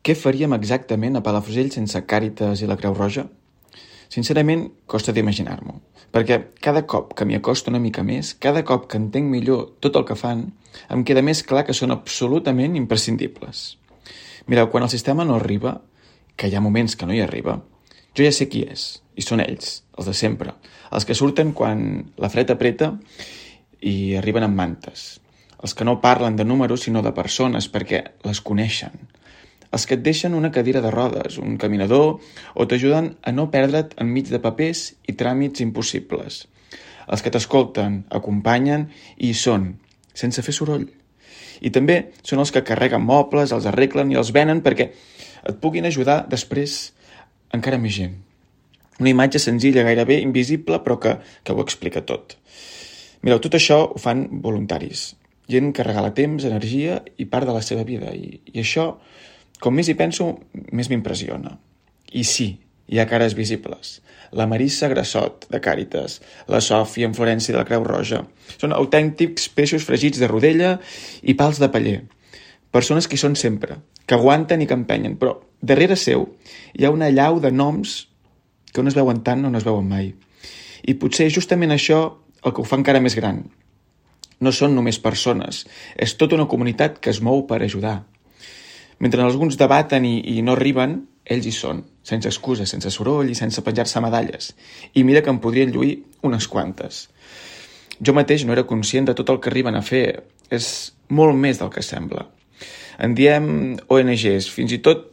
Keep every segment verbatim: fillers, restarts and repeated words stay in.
Què faríem exactament a Palafrugell sense Càritas i la Creu Roja? Sincerament, costa d'imaginar-m'ho, perquè cada cop que m'hi acosto una mica més, cada cop que entenc millor tot el que fan, em queda més clar que són absolutament imprescindibles. Mireu, quan el sistema no arriba, que hi ha moments que no hi arriba, jo ja sé qui és, i són ells, els de sempre, els que surten quan la fred apreta i arriben amb mantes, els que no parlen de números sinó de persones perquè les coneixen, els que et deixen una cadira de rodes, un caminador, o t'ajuden a no perdre't enmig de papers i tràmits impossibles. Els que t'escolten, acompanyen i hi són, sense fer soroll. I també són els que carreguen mobles, els arreglen i els venen perquè et puguin ajudar després encara més gent. Una imatge senzilla, gairebé invisible, però que, que ho explica tot. Mireu, tot això ho fan voluntaris. Gent que regala temps, energia i part de la seva vida. I, i això, com més hi penso, més m'impressiona. I sí, hi ha cares visibles. La Marissa Grassot, de Càritas, la Sòfia en Florència de la Creu Roja. Són autèntics peixos fregits de rodella i pals de paller. Persones que hi són sempre, que aguanten i que empenyen, però darrere seu hi ha una llau de noms que on es veuen tant o no es veuen mai. I potser justament això el que ho fa encara més gran. No són només persones, és tota una comunitat que es mou per ajudar. Mentre alguns debaten i, i no arriben, ells hi són, sense excuses, sense soroll i sense penjar-se medalles. I mira que en podrien lluir unes quantes. Jo mateix no era conscient de tot el que arriben a fer. És molt més del que sembla. En diem O N Ges, fins i tot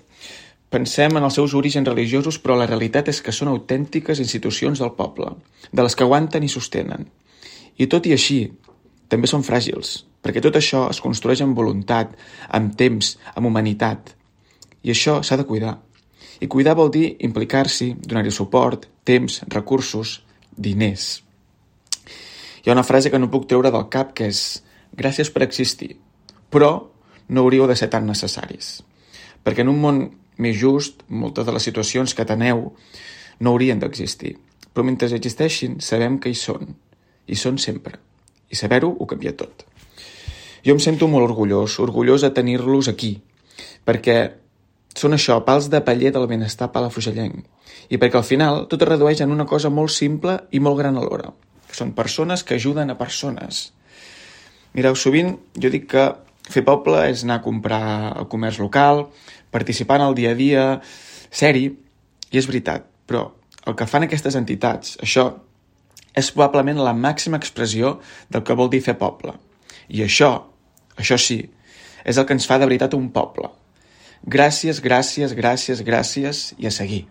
pensem en els seus orígens religiosos, però la realitat és que són autèntiques institucions del poble, de les que aguanten i sostenen. I tot i així, també són fràgils, perquè tot això es construeix amb voluntat, amb temps, amb humanitat. I això s'ha de cuidar. I cuidar vol dir implicar-s'hi, donar-hi suport, temps, recursos, diners. Hi ha una frase que no puc treure del cap que és gràcies per existir, però no hauríeu de ser tan necessaris. Perquè en un món més just, moltes de les situacions que teneu no haurien d'existir. Però mentre existeixin, sabem que hi són. Hi són sempre. I saber-ho ho canvia tot. Jo em sento molt orgullós, orgullós de tenir-los aquí, perquè són això, pals de paller del benestar palafrugellenc, i perquè al final tot es redueix en una cosa molt simple i molt gran alhora, que són persones que ajuden a persones. Mireu, sovint jo dic que fer poble és anar a comprar al comerç local, participar en el dia a dia, ser-hi, i és veritat, però el que fan aquestes entitats, això, és probablement la màxima expressió del que vol dir fer poble. I això, això sí, és el que ens fa de veritat un poble. Gràcies, gràcies, gràcies, gràcies i a seguir.